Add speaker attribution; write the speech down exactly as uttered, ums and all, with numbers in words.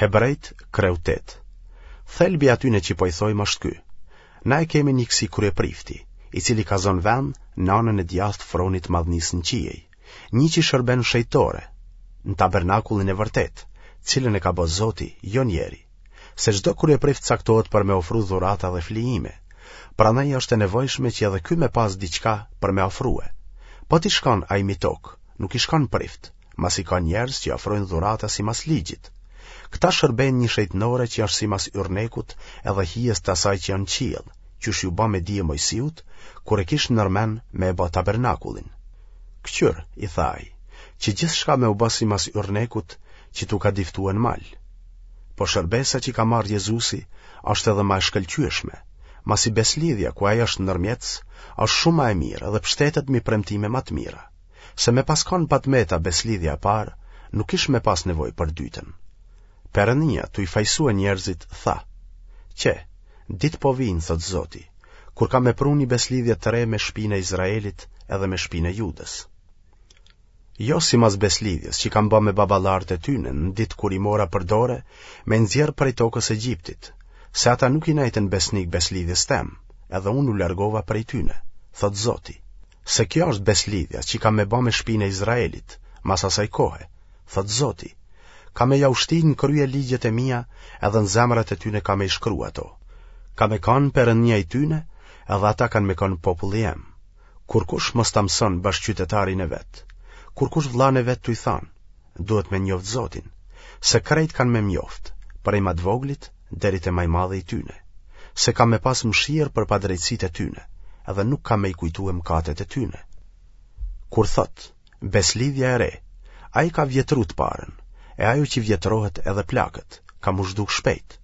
Speaker 1: Hebrejt, kreu tetë. Thelbi i atyne që po i thojmë është ky. Na e kemi një kësi kryeprifti, i cili ka zonë vend në anën e djathtë fronit të madhnisë në qiej, një që shërben n'shejtore, në tabernakullin e vërtetë, cilën e ka bo Zoti, jo njeri. Se çdo kryeprift caktohet për me ofru dhurata dhe flijime. Prandaj është e nevojshme që edhe ky me pas diçka për me ofrue. Po t'ish kon ai mi tokë, nuk ish kon prift, masi ka njerëz që ofrojnë dhurata simas ligjit. Këta shërbejnë një shejtnore që është simas yrnekut edhe hijes të asaj që janë në qiell, qysh iu ba me dije Mojsiut, kur e kish nërmen me e ba tabernakullin. Këqyr, i tha ai, që gjithçka me u ba simas yrnekut që t'u ka diftue në mal. Po shërbesa që ka marrë Jezusi është edhe ma e shkëlqyeshme, masi beslidhja ku ai është ndërmjetës, është shumë ma e mirë dhe pshtetet mi premtime ma të mira. Se me pas kon pa të meta beslidhja e parë, nuk ish me pas nevojë për dytën. Perënia, tu i fajsue njerëzit, tha: Qe, ditë po vijnë, thotë Zoti, kur kam me pru një beslidhje të re me shpinë e Izraelit edhe me shpinë e Judës. Jo simas beslidhjes që kam ba me baballarët e tyne në ditë kur i mora për dore me nxjerr prej tokës Egjiptit, se ata nuk i nejtën besnik beslidhjes tem, edhe unë u largova prej tyne, thotë Zoti. Se kjo është beslidhja që kam me ba me shpinë e Izraelit, mas asaj kohe, thotë Zoti. Kam me jau shti në krye ligjet e mia edhe në zemrat e tyne kam me i shkru ato. Kam me kanë Perënia i tyne edhe ata kanë me kanë populli jem. Kurkush mos ta mëson bashkëqytetarin e vet, kurkush vllanë e vet tuj thanë, duhet me njoft Zotin, se krejt kanë me m'njoft, prej ma të voglit deri te ma i madhi i tyne, se kam me pas mëshirë për padrejtësitë e tyne, edhe nuk kam me i kujtue mëkatet e tyne. Kur thotë, beslidhja e re, ai ka vjetru të parën, e ajo që vjetrohet edhe plaket, ka m'u zhduk shpejt.